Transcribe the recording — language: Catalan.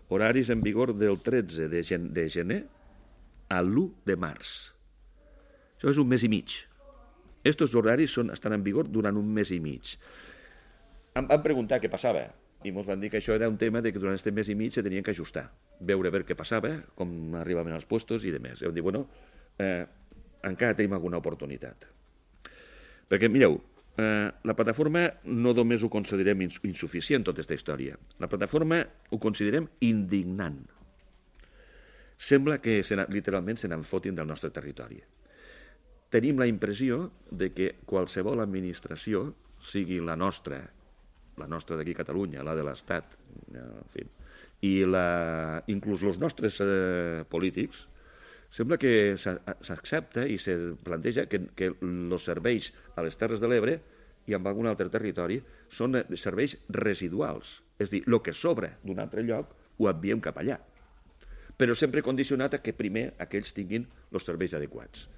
horaris en vigor del 13 de gener a l'1 de març. Això és un mes i mig. Estos horaris estan en vigor durant un mes i mig. Em van preguntar què passava i ens van dir que això era un tema de que durant aquest mes i mig se tenien que ajustar, veure què passava, com arribaven els puestos i demés. I vam dir, bueno, encara tenim alguna oportunitat. Perquè, mireu, la plataforma no només ho considerem insuficient, tota aquesta història. La plataforma ho considerem indignant. Sembla que literalment se n'enfotin del nostre territori. Tenim la impressió de que qualsevol administració, sigui la nostra d'aquí a Catalunya, la de l'Estat, en fi, i inclús els nostres polítics, sembla que s'accepta i se planteja que els serveis a les Terres de l'Ebre i en algun altre territori són serveis residuals. És a dir, el que sobra d'un altre lloc ho enviem cap allà. Però sempre condicionat a que primer aquells tinguin els serveis adequats.